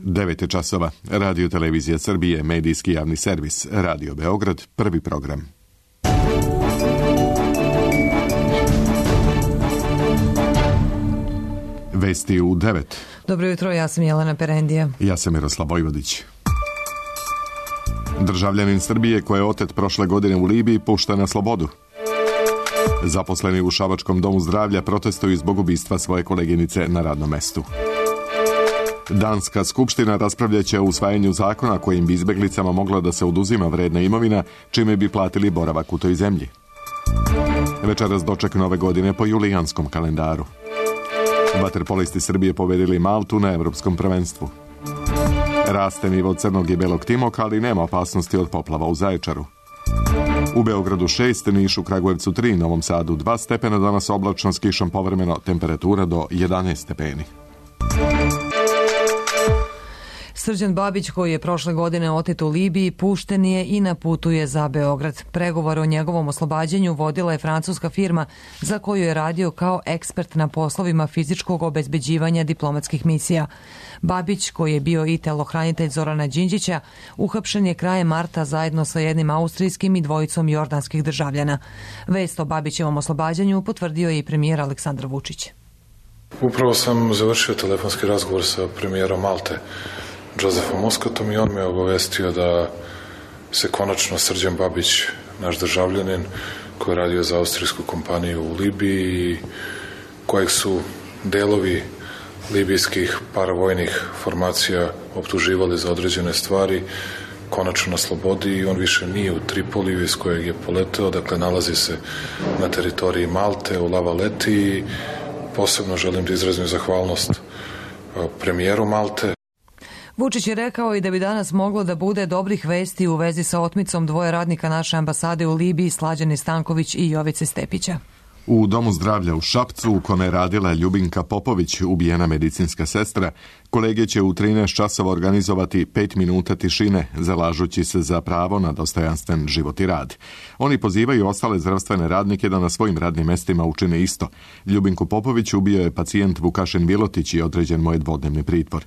9 je časova. Radio Televizija Srbije, medijski javni servis, Radio Beograd, prvi program. Vesti u 9. Dobro jutro, ja sam Jelena Perendija. Ja sam Miroslav Vojvodić. Državljanin Srbije koji je otet prošle godine u Libiji pušta na slobodu. Zaposleni u Šabačkom domu zdravlja protestuju zbog ubistva svoje koleginice na radnom mestu. Danska skupština raspravljaće o usvajanju zakona kojim bi izbeglicama mogla da se oduzima vredna imovina, čime bi platili boravak u toj zemlji. Večeras doček nove godine po julijanskom kalendaru. Vaterpolisti Srbije pobedili Maltu na Evropskom prvenstvu. Raste nivo Crnog i Belog Timoka, ali nema opasnosti od poplava u Zaječaru. U Beogradu 6, Nišu, Kragujevcu 3, Novom Sadu 2 stepena, danas oblačno s kišom povremeno, temperatura do 11 stepeni. Srđan Babić, koji je prošle godine otet u Libiji, pušten je i na putu je za Beograd. Pregovore o njegovom oslobađanju vodila je francuska firma za koju je radio kao ekspert na poslovima fizičkog obezbeđivanja diplomatskih misija. Babić, koji je bio i telohranitelj Zorana Đinđića, uhapšen je krajem marta zajedno sa jednim austrijskim i dvojicom jordanskih državljana. Vest o Babićevom oslobađanju potvrdio je i premijer Aleksandar Vučić. Upravo sam završio telefonski razgovor sa premijerom Malte, Josefom Muscatom, i on me obavestio da se konačno Srđan Babić, naš državljanin koji je radio za austrijsku kompaniju u Libiji, kojeg su delovi libijskih paravojnih formacija optuživali za određene stvari, konačno na slobodi i on više nije u Tripoliju iz kojeg je poleteo, dakle nalazi se na teritoriji Malte, u Lavaleti, i posebno želim da izrazim zahvalnost premijeru Malte. Vučić je rekao i da bi danas moglo da bude dobrih vesti u vezi sa otmicom dvoje radnika naše ambasade u Libiji, Slađane Stanković i Jovice Stepića. U domu zdravlja u Šapcu, u kome je radila Ljubinka Popović, ubijena medicinska sestra, kolege će u 13 časova organizovati 5 minuta tišine, zalažući se za pravo na dostojanstven život i rad. Oni pozivaju ostale zdravstvene radnike da na svojim radnim mestima učine isto. Ljubinku Popović ubio je pacijent Vukašin Vilotić i određen mu je dvodnevni pritvor.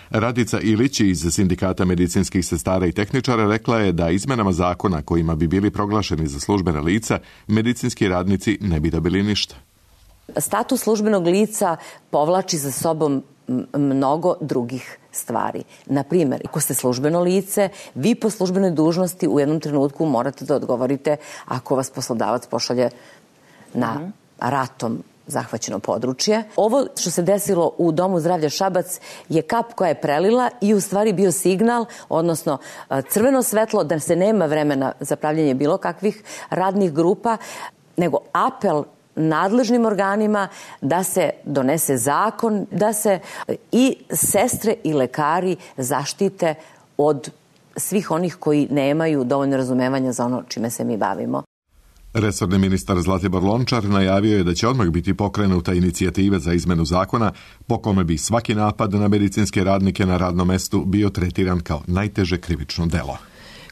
Radica Ilić iz Sindikata medicinskih sestara i tehničara rekla je da izmenama zakona kojima bi bili proglašeni za službena lica, medicinski radnici ne bi dobili ništa. Status službenog lica povlači za sobom mnogo drugih stvari. Na primjer, ako ste službeno lice, vi po službenoj dužnosti u jednom trenutku morate da odgovorite ako vas poslodavac pošalje na ratom zahvaćeno područje. Ovo što se desilo u Domu zdravlja Šabac je kap koja je prelila i u stvari bio signal, odnosno crveno svetlo da se nema vremena za pravljanje bilo kakvih radnih grupa, nego apel nadležnim organima da se donese zakon, da se i sestre i lekari zaštite od svih onih koji nemaju dovoljno razumevanja za ono čime se mi bavimo. Resorni ministar Zlatibor Lončar najavio je da će odmah biti pokrenuta inicijativa za izmenu zakona po kome bi svaki napad na medicinske radnike na radnom mestu bio tretiran kao najteže krivično delo.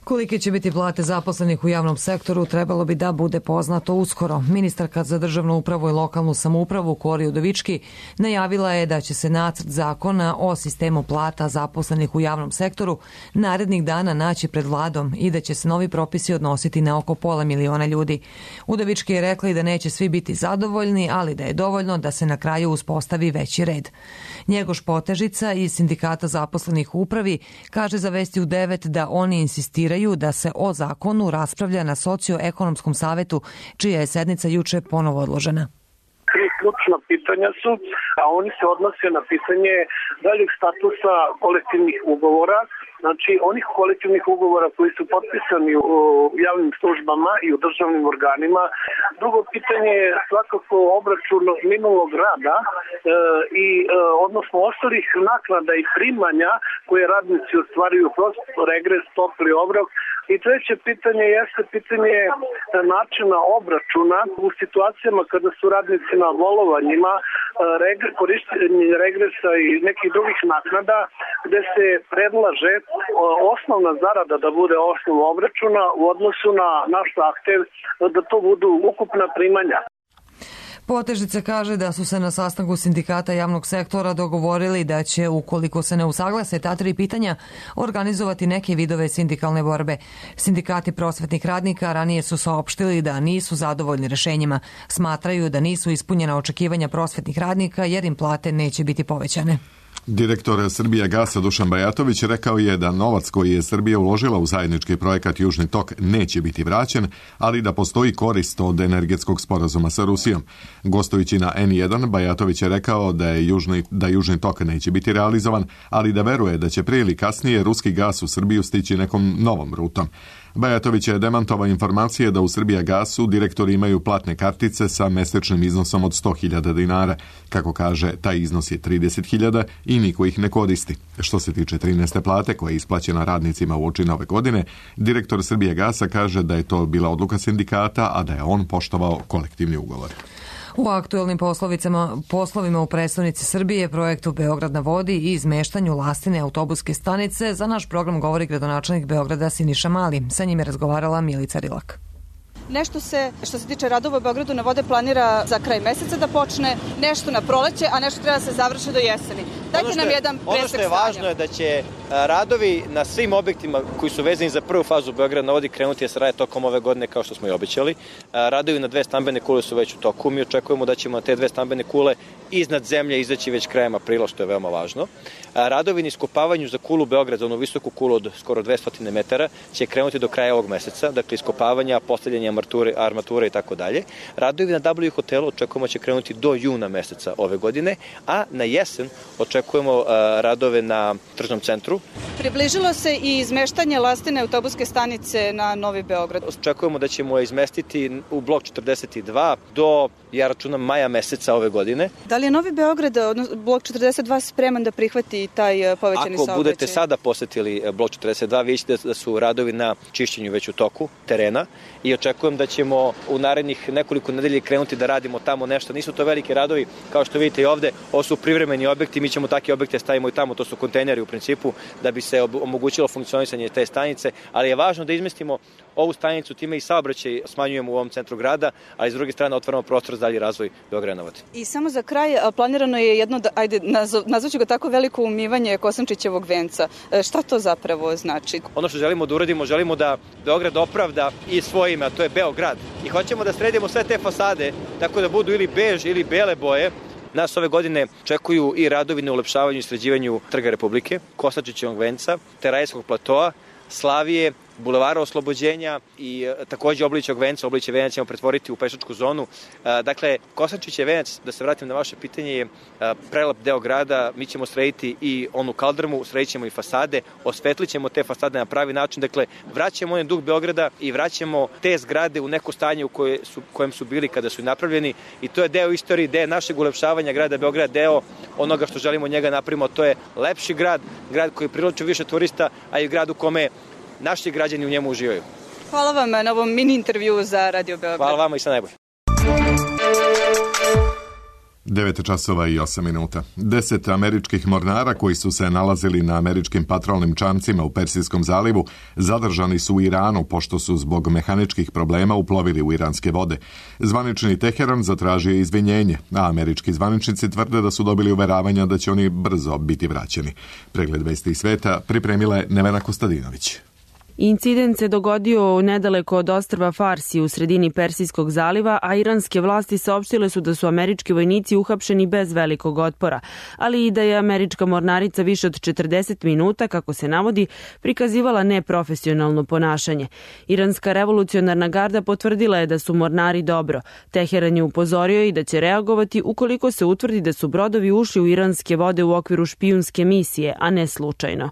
Kolike će biti plate zaposlenih u javnom sektoru trebalo bi da bude poznato uskoro. Ministarka za državnu upravu i lokalnu samoupravu Kori Udovički najavila je da će se nacrt zakona o sistemu plata zaposlenih u javnom sektoru narednih dana naći pred vladom i da će se novi propisi odnositi na oko 500.000 ljudi. Udovički je rekla i da neće svi biti zadovoljni, ali da je dovoljno da se na kraju uspostavi veći red. Njegoš Potežica iz Sindikata zaposlenih u upravi kaže za Vesti u 9 da oni insistiraju da se o zakonu raspravlja na socioekonomskom savetu, čija je sednica juče ponovo odložena. 3 ključna pitanja su, a oni se odnose na pitanje daljeg statusa kolektivnih ugovora, znači onih kolektivnih ugovora koji su potpisani u javnim službama i u državnim organima. Drugo pitanje je svakako obračun minulog rada i odnosno ostalih naknada i primanja koje radnici ostvaruju kroz regres, topli obrok. I treće pitanje jeste pitanje načina obračuna u situacijama kada su radnici na bolovanjima, korištenje regresa i nekih drugih naknada, gde se predlaže osnovna zarada da bude osnov obračuna u odnosu na naš zahtev da to budu ukupna primanja. Potežice kaže da su se na sastanku sindikata javnog sektora dogovorili da će, ukoliko se ne usaglase ta 3 pitanja, organizovati neke vidove sindikalne borbe. Sindikati prosvetnih radnika ranije su saopštili da nisu zadovoljni rešenjima. Smatraju da nisu ispunjena očekivanja prosvetnih radnika jer im plate neće biti povećane. Direktor Srbijagasa Dušan Bajatović rekao je da novac koji je Srbija uložila u zajednički projekat Južni tok neće biti vraćen, ali da postoji korist od energetskog sporazuma sa Rusijom. Gostujući na N1, Bajatović je rekao da Južni tok neće biti realizovan, ali da veruje da će prije ili kasnije ruski gas u Srbiju stići nekom novom rutom. Bajatović je demantovao informacije da u Srbijagasu direktori imaju platne kartice sa mesečnim iznosom od 100.000 dinara. Kako kaže, taj iznos je 30.000 i niko ih ne koristi. Što se tiče 13. plate koja je isplaćena radnicima uoči nove godine, direktor Srbijagasa kaže da je to bila odluka sindikata, a da je on poštovao kolektivni ugovor. U aktuelnim poslovima u predstavnici Srbije, projektu Beograd na vodi i izmeštanju lastine autobuske stanice, za naš program govori gradonačelnik Beograda Siniša Mali. Sa njim je razgovarala Milica Rilak. Nešto se, što se tiče radova u Beogradu na vode, planira za kraj meseca da počne, nešto na proleće, a nešto treba da se završi do jeseni. Dajte nam jedan presek stanja. Ono što je važno je da će radovi na svim objektima koji su vezani za prvu fazu Beograd na vodi krenuti da se rade tokom ove godine kao što smo i obećali. Radovi na 2 stambene kule su već u toku. Mi očekujemo da ćemo na te 2 stambene kule iznad zemlje izaći već krajem aprila, što je veoma važno. Radovi na iskopavanju za kulu Beograd, za onu visoku kulu od skoro 200 metara, će krenuti do kraja ovog meseca. Dakle, iskopavanja, postavljanja armature i tako dalje. Radovi na W hotelu očekujemo će krenuti do juna meseca ove godine, a na jesen očekujemo radove na tržnom centru. Približilo se i izmeštanje lastine autobuske stanice na Novi Beograd. Očekujemo da ćemo je izmestiti u blok 42 do, ja računam, maja meseca ove godine. Da li je Novi Beograd, odnosno blok 42, spreman da prihvati taj povećani saobraćaj? Ako budete sada posetili blok 42, vidite da su radovi na čišćenju već u toku terena i očekujem da ćemo u narednih nekoliko nedelja krenuti da radimo tamo nešto. Nisu to veliki radovi, kao što vidite i ovde, ovo su privremeni objekti, mi ćemo takve objekte stavimo i tamo, to su kontejneri u principu, da bi se omogućilo funkcionisanje te stanice, ali je važno da izmestimo ovu stanicu, time i saobraćaj smanjujemo u ovom centru grada, ali s druge strane otvaramo prostor za dalji razvoj Beograda na vodi. I samo za kraj, planirano je jedno, nazvaću ga tako, veliko umivanje Kosančićevog venca. Šta to zapravo znači? Ono što želimo da uradimo, želimo da Beograd opravda i svoje ime, a to je Beograd. I hoćemo da sredimo sve te fasade, tako da budu ili bež ili bele boje. Nas ove godine čekuju i radovi na ulepšavanju i sređivanju Trga Republike, Kosančićevog venca, Terajskog platoa, Slavije, Bulevara Oslobođenja i takođe Oblićevog venca. Oblićev venac ćemo pretvoriti u pešačku zonu. Dakle, Kosančićev venac, da se vratim na vaše pitanje, je prelep deo grada. Mi ćemo srediti i onu kaldrmu, sredit ćemo i fasade, osvetlit ćemo te fasade na pravi način. Dakle, vraćamo onaj duh Beograda i vraćamo te zgrade u neko stanje u kojem su bili kada su napravljeni. I to je deo istorije, deo našeg ulepšavanja grada Beograda, deo onoga što želimo njega napravimo. To je lepši grad, grad koji privlači više turista, a i grad u kome naši građani u njemu uživaju. Hvala vam na ovom mini intervju za Radio Beograd. Hvala vama i sve najbolje. 9:08. 10 američkih mornara koji su se nalazili na američkim patrolnim čamcima u Persijskom zalivu zadržani su u Iranu pošto su zbog mehaničkih problema uplovili u iranske vode. Zvanični Teheran zatražio izvinjenje, a američki zvaničnici tvrde da su dobili uveravanja da će oni brzo biti vraćeni. Pregled vesti sveta pripremila je Nevena Kostadinović. Incident se dogodio nedaleko od ostrva Farsi u sredini Persijskog zaliva, a iranske vlasti saopštile su da su američki vojnici uhapšeni bez velikog otpora, ali i da je američka mornarica više od 40 minuta, kako se navodi, prikazivala neprofesionalno ponašanje. Iranska revolucionarna garda potvrdila je da su mornari dobro. Teheran je upozorio i da će reagovati ukoliko se utvrdi da su brodovi ušli u iranske vode u okviru špijunske misije, a ne slučajno.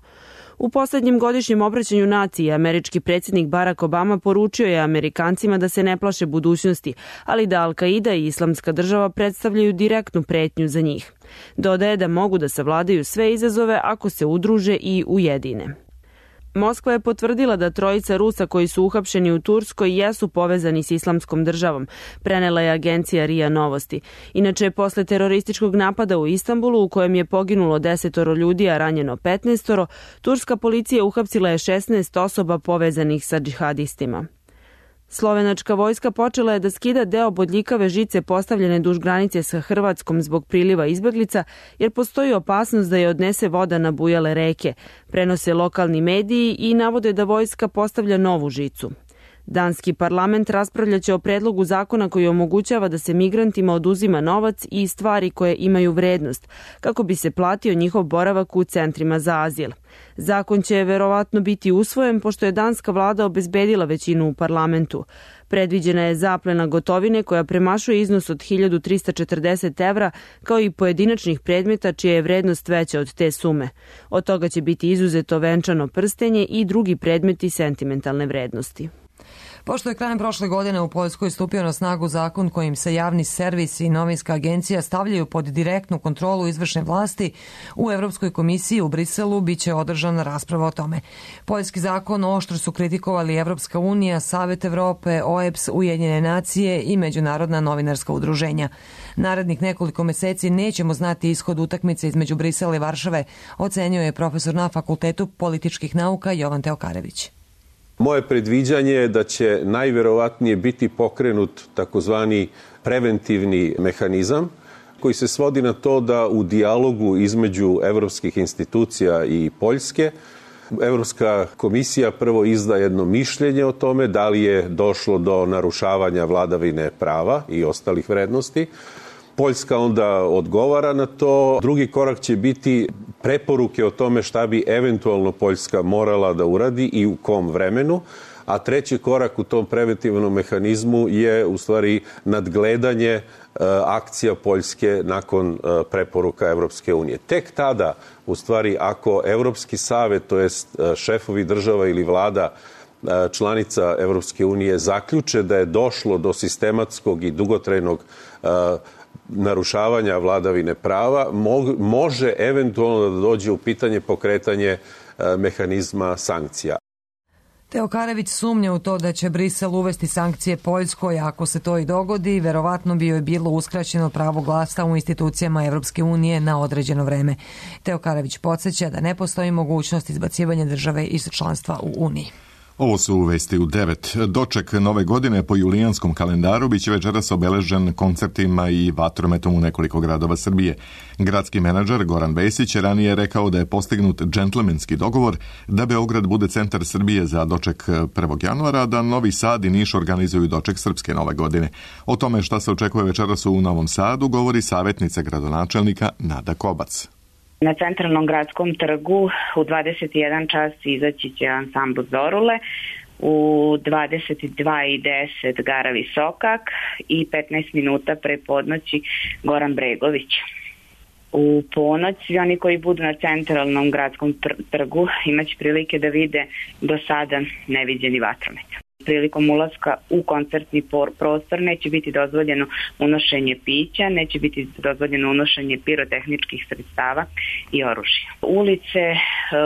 U poslednjem godišnjem obraćanju naciji američki predsjednik Barack Obama poručio je Amerikancima da se ne plaše budućnosti, ali da Al-Qaida i Islamska država predstavljaju direktnu pretnju za njih. Dodaje da mogu da savladaju sve izazove ako se udruže i ujedine. Moskva je potvrdila da 3 Rusa koji su uhapšeni u Turskoj jesu povezani s Islamskom državom, prenela je agencija RIA Novosti. Inače, posle terorističkog napada u Istanbulu, u kojem je poginulo 10 ljudi, a ranjeno 15, turska policija uhapsila je 16 osoba povezanih sa džihadistima. Slovenačka vojska počela je da skida deo bodljikave žice postavljene duž granice sa Hrvatskom zbog priliva izbeglica, jer postoji opasnost da je odnese voda na bujale reke. Prenose lokalni mediji i navode da vojska postavlja novu žicu. Danski parlament raspravljaće o predlogu zakona koji omogućava da se migrantima oduzima novac i stvari koje imaju vrednost, kako bi se platio njihov boravak u centrima za azil. Zakon će verovatno biti usvojen pošto je danska vlada obezbedila većinu u parlamentu. Predviđena je zaplena gotovine koja premašuje iznos od 1340 evra, kao i pojedinačnih predmeta čija je vrednost veća od te sume. Od toga će biti izuzeto venčano prstenje i drugi predmeti sentimentalne vrednosti. Pošto je krajem prošle godine u Poljskoj stupio na snagu zakon kojim se javni servis i novinska agencija stavljaju pod direktnu kontrolu izvršne vlasti, u Evropskoj komisiji u Briselu biće održana rasprava o tome. Poljski zakon oštro su kritikovali Evropska unija, Savet Evrope, OEBS, Ujedinjene nacije i Međunarodna novinarska udruženja. Narednih nekoliko meseci nećemo znati ishod utakmice između Brisela i Varšave, ocenio je profesor na Fakultetu političkih nauka Jovan Teokarević. Moje predviđanje je da će najverovatnije biti pokrenut takozvani preventivni mehanizam koji se svodi na to da u dijalogu između evropskih institucija i Poljske Evropska komisija prvo izda jedno mišljenje o tome da li je došlo do narušavanja vladavine prava i ostalih vrednosti. Poljska onda odgovara na to. Drugi korak će biti preporuke o tome šta bi eventualno Poljska morala da uradi i u kom vremenu. A treći korak u tom preventivnom mehanizmu je u stvari nadgledanje akcija Poljske nakon preporuka Evropske unije. Tek tada, u stvari, ako Evropski savet, to jest šefovi država ili vlada članica Evropske unije zaključe da je došlo do sistematskog i dugotrajnog narušavanja vladavine prava, može eventualno da dođe u pitanje pokretanje mehanizma sankcija. Teokarević sumnja u to da će Brisel uvesti sankcije Poljskoj, a ako se to i dogodi, verovatno bi joj bilo uskraćeno pravo glasa u institucijama Evropske unije na određeno vreme. Teokarević podsjeća da ne postoji mogućnost izbacivanja države iz članstva u Uniji. Ovo su vesti u 9. Doček nove godine po julijanskom kalendaru biće večeras obeležen koncertima i vatrometom u nekoliko gradova Srbije. Gradski menadžer Goran Vesić je ranije rekao da je postignut džentlmenski dogovor da Beograd bude centar Srbije za doček 1. januara, da Novi Sad i Niš organizuju doček srpske nove godine. O tome šta se očekuje večeras u Novom Sadu govori savjetnica gradonačelnika Nada Kobac. Na centralnom gradskom trgu u 21 čas izaći će ansambl Zorule, u 22:10 Gara Visokak i 15 minuta pre podnoći Goran Bregović. U ponoć svi oni koji budu na centralnom gradskom trgu imaće prilike da vide do sada neviđeni vatromet. Prilikom ulaska u koncertni prostor neće biti dozvoljeno unošenje pića, neće biti dozvoljeno unošenje pirotehničkih sredstava i oružja. Ulice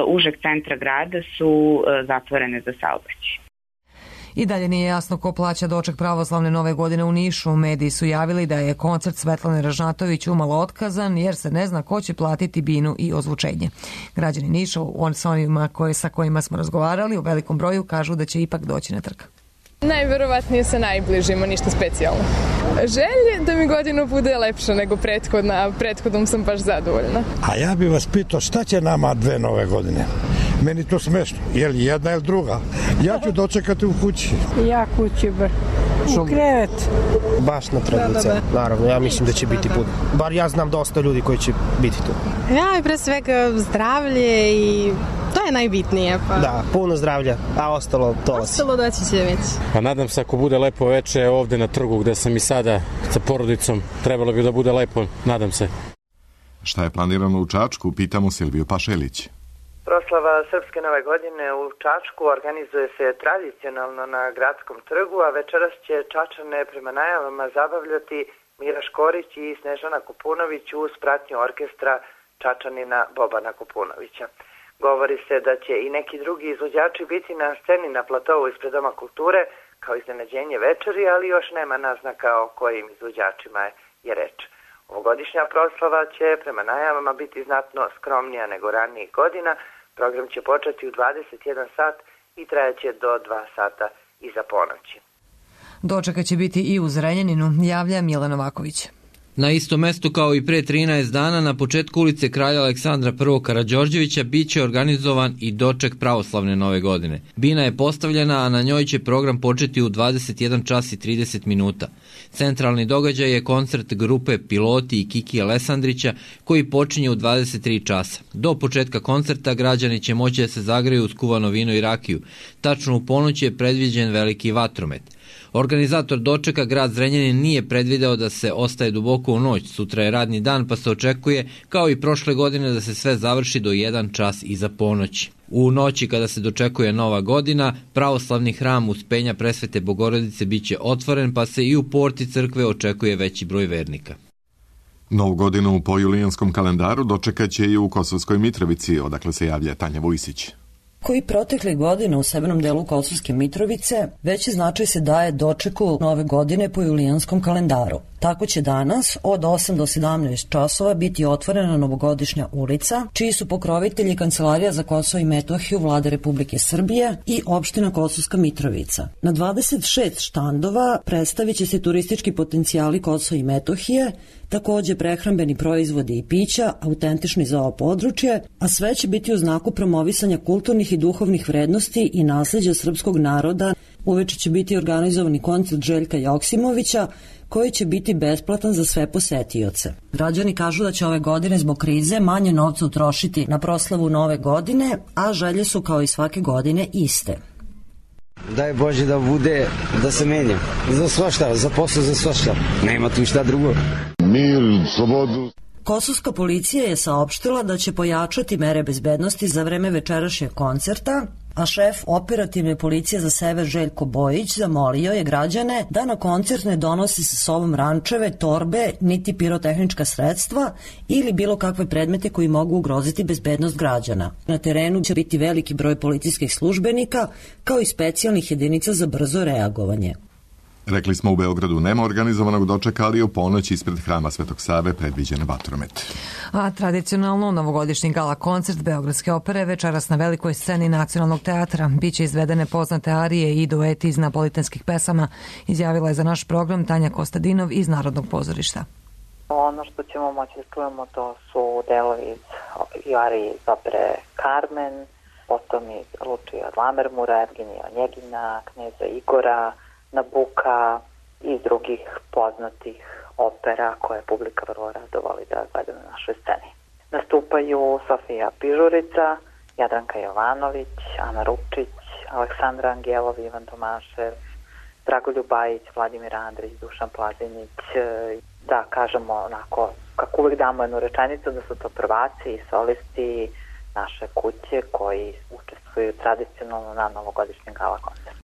užeg centra grada su zatvorene za saobraćaj. I dalje nije jasno ko plaća doček pravoslavne nove godine u Nišu. Mediji su javili da je koncert Svetlane Ražnatović umalo otkazan jer se ne zna ko će platiti binu i ozvučenje. Građani Niša, sa onima sa kojima smo razgovarali, u velikom broju kažu da će ipak doći na trg. Najverovatnije sa najbližima, ništa specijalno. Želje da mi godina bude lepša nego prethodna, prethodnom sam baš zadovoljna. A ja bih vas pitao šta će nama 2 nove godine? Meni to smešno, je li jedna ili druga? Ja ću dočekati u kući. Ja kući u krevet. Baš na tradicija, naravno, ja mislim da će biti put. Bar ja znam dosta ljudi koji će biti tu. Ja i pre svega zdravlje i to je najbitnije. Pa. Da, puno zdravlja, a ostalo dolazi. Ostalo doći će već. Pa nadam se ako bude lepo veče ovde na trgu gde sam i sada sa porodicom, trebalo bi da bude lepo, nadam se. Šta je planirano u Čačku, pitamo Silviju Pašelić. Proslava Srpske nove godine u Čačku organizuje se tradicionalno na gradskom trgu, a večeras će Čačane prema najavama zabavljati Mira Škorić i Snežana Kupunović uz pratnju orkestra Čačanina Bobana Kupunovića. Govori se da će i neki drugi izvođači biti na sceni na platovu ispred Doma kulture kao iznenađenje večeri, ali još nema naznaka o kojim izvođačima je reč. Ovogodišnja proslava će prema najavama biti znatno skromnija nego ranijih godina. Program će početi u 21 sat i trajaće do 2 sata iza ponoći. Dočeka će biti i u Zrenjaninu, javlja Mila Novaković. Na isto mesto kao i pre 13 dana, na početku ulice Kralja Aleksandra I. Karađorđevića biće organizovan i doček pravoslavne nove godine. Bina je postavljena, a na njoj će program početi u 21 čas i 30 minuta. Centralni događaj je koncert grupe Piloti i Kiki Alesandrića koji počinje u 23 časa. Do početka koncerta građani će moći da se zagreju uz kuvano vino i rakiju. Tačno u ponoć je predviđen veliki vatromet. Organizator dočeka, grad Zrenjanin, nije predvideo da se ostaje duboko u noć. Sutra je radni dan, pa se očekuje, kao i prošle godine, da se sve završi do 1 čas iza ponoći. U noći kada se dočekuje Nova godina, pravoslavni hram Uspenja Presvete Bogorodice biće otvoren, pa se i u porti crkve očekuje veći broj vernika. Novu godinu po julijanskom kalendaru dočekaće i u Kosovskoj Mitrovici, odakle se javlja Tanja Vujsić. Koji protekle godine u severnom delu Kosovske Mitrovice veći značaj se daje dočeku nove godine po julijanskom kalendaru. Tako će danas od 8 do 17 časova biti otvorena novogodišnja ulica, čiji su pokrovitelji Kancelarija za Kosovo i Metohiju Vlade Republike Srbije i opština Kosovska Mitrovica. Na 26 štandova predstavit će se turistički potencijali Kosova i Metohije, takođe prehrambeni proizvodi i pića, autentični za ovo područje, a sve će biti u znaku promovisanja kulturnih i duhovnih vrednosti i nasleđa srpskog naroda. Uveče će biti organizovani koncert Željka Joksimovića, koji će biti besplatan za sve posetioce. Građani kažu da će ove godine zbog krize manje novca utrošiti na proslavu nove godine, a želje su kao i svake godine iste. Daj Bože da bude, da se menja. Za svašta, za posao, za svašta. Nema tu šta drugo. Mir, slobodu. Kosovska policija je saopštila da će pojačati mere bezbednosti za vreme večerašnjeg koncerta, a šef operativne policije za sever Željko Bojić zamolio je građane da na koncert ne donose sa sobom rančeve, torbe, niti pirotehnička sredstva ili bilo kakve predmete koji mogu ugroziti bezbednost građana. Na terenu će biti veliki broj policijskih službenika, kao i specijalnih jedinica za brzo reagovanje. Rekli smo, u Beogradu nema organizovanog dočeka, ali u ponoć ispred hrama Svetog Save predviđen vatromet. A tradicionalno novogodišnji gala koncert Beogradske opere večeras na velikoj sceni Nacionalnog teatra. Biće izvedene poznate arije i dueti iz napolitanskih pesama, izjavila je za naš program Tanja Kostadinov iz Narodnog pozorišta. Ono što ćemo moći da čujemo to su delovi i arije iz opere Carmen, potom iz Lučija od Lammermura, Evgenija Onjegina, Kneza Igora, Nabuka i drugih poznatih opera koje publika vrlo rado voli da gleda na našoj sceni. Nastupaju Sofija Pižurica, Jadranka Jovanović, Ana Rupčić, Aleksandra Angelov, Ivan Tomašev, Dragoljub Bajić, Vladimir Andrić, Dušan Plazinić. Da kažemo onako, kako uvek damo jednu rečenicu, da su to prvaci i solisti naše kuće koji učestvuju tradicionalno na novogodišnjem gala koncertu.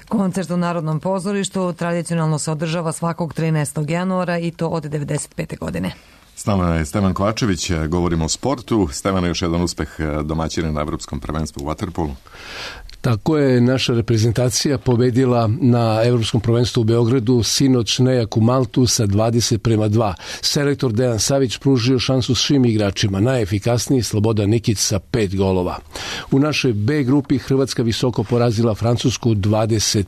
Koncert u Narodnom pozorištu tradicionalno se održava svakog 13. januara i to od 1995. godine. S nama je Stevan Kovačević, govorimo o sportu. Stevan, još jedan uspeh domaćina na Evropskom prvenstvu u vaterpolu. Tako je, naša reprezentacija pobedila na Evropskom prvenstvu u Beogradu sinoć nejaku Maltu sa 20:2. Selektor Dejan Savić pružio šansu svim igračima, najefikasniji Slobodan Nikić sa 5 golova. U našoj B grupi Hrvatska visoko porazila Francusku 25.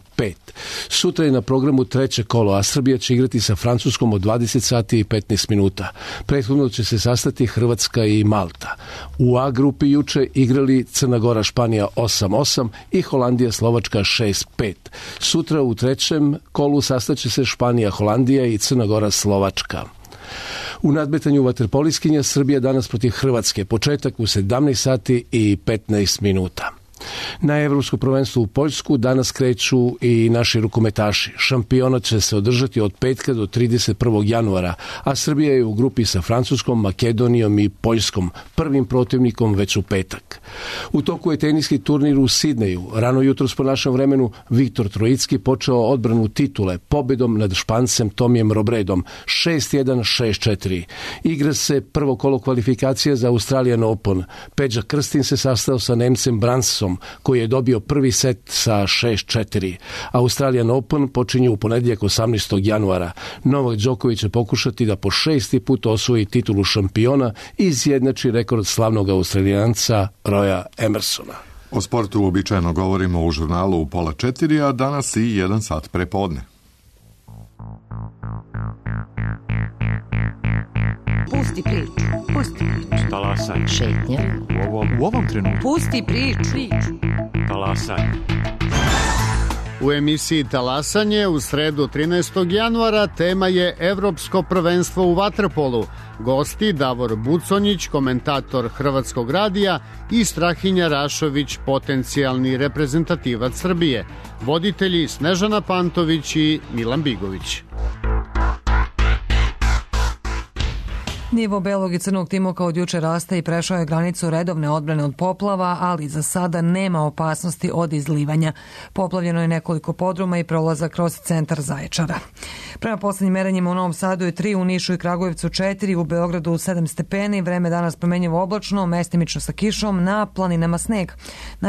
Sutra je na programu treće kolo, a Srbija će igrati sa Francuskom od 20 sati i 15 minuta. Prethodno će se sastati Hrvatska i Malta. U A grupi juče igrali Crna Gora Španija 8-8 i Holandija Slovačka 6-5. Sutra u trećem kolu sastaće se Španija Holandija i Crna Gora Slovačka. U nadmetanju vaterpoliskinja Srbija danas protiv Hrvatske, početak u 17 sati i 15 minuta. Na Evropsko prvenstvo u Poljsku danas kreću i naši rukometaši. Šampionat će se održati od petka do 31. januara, a Srbija je u grupi sa Francuskom, Makedonijom i Poljskom, prvim protivnikom već u petak. U toku je teniski turnir u Sidneju. Rano jutros po našem vremenu Viktor Trojicki počeo odbranu titule pobedom nad Špancem Tomijem Robredom 6-1, 6-4. Igra se prvo kolo kvalifikacija za Australian Open. Peđa Krstin se sastao sa Nemcem Bransom, koji je dobio prvi set sa 6-4. Australian Open počinje u ponedjeljak 18. januara. Novak Đoković će pokušati da po 6. put osvoji titulu šampiona i izjednači rekord slavnog Australijanca Roya Emersona. O sportu uobičajeno govorimo u žurnalu u 3:30, a danas i 1 sat pre podne. Pusti priču. Talasaj. Šetnja. U ovom trenutku. Pusti priču. Talasaj. U emisiji Talasanje u sredu 13. januara tema je Evropsko prvenstvo u vaterpolu. Gosti Davor Buconjić, komentator Hrvatskog radija, i Strahinja Rašović, potencijalni reprezentativac Srbije. Voditelji Snežana Pantović i Milan Bigović. Nivo belog i crnog timoka od juče raste i prešao je granicu redovne odbrane od poplava, ali za sada nema opasnosti od izlivanja. Poplavljeno je nekoliko podruma i prolaza kroz centar Zaječara. Prema poslednjim merenjima u Novom Sadu je 3, u Nišu i Kragujevcu 4, u Beogradu 7 stepeni, vreme danas promenjivo oblačno, mestimično sa kišom, na planinama sneg.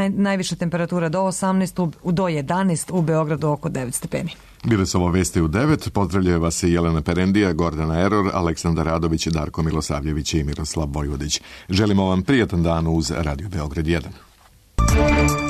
Najviša temperatura do 11, u Beogradu oko 9 stepeni. Bile su ovo vesti u 9. Pozdravljaju vas i Jelena Perendija, Gordana Eror, Aleksandar Radović, Darko Milosavljević i Miroslav Vojvodić. Želimo vam prijatan dan uz Radio Beograd 1.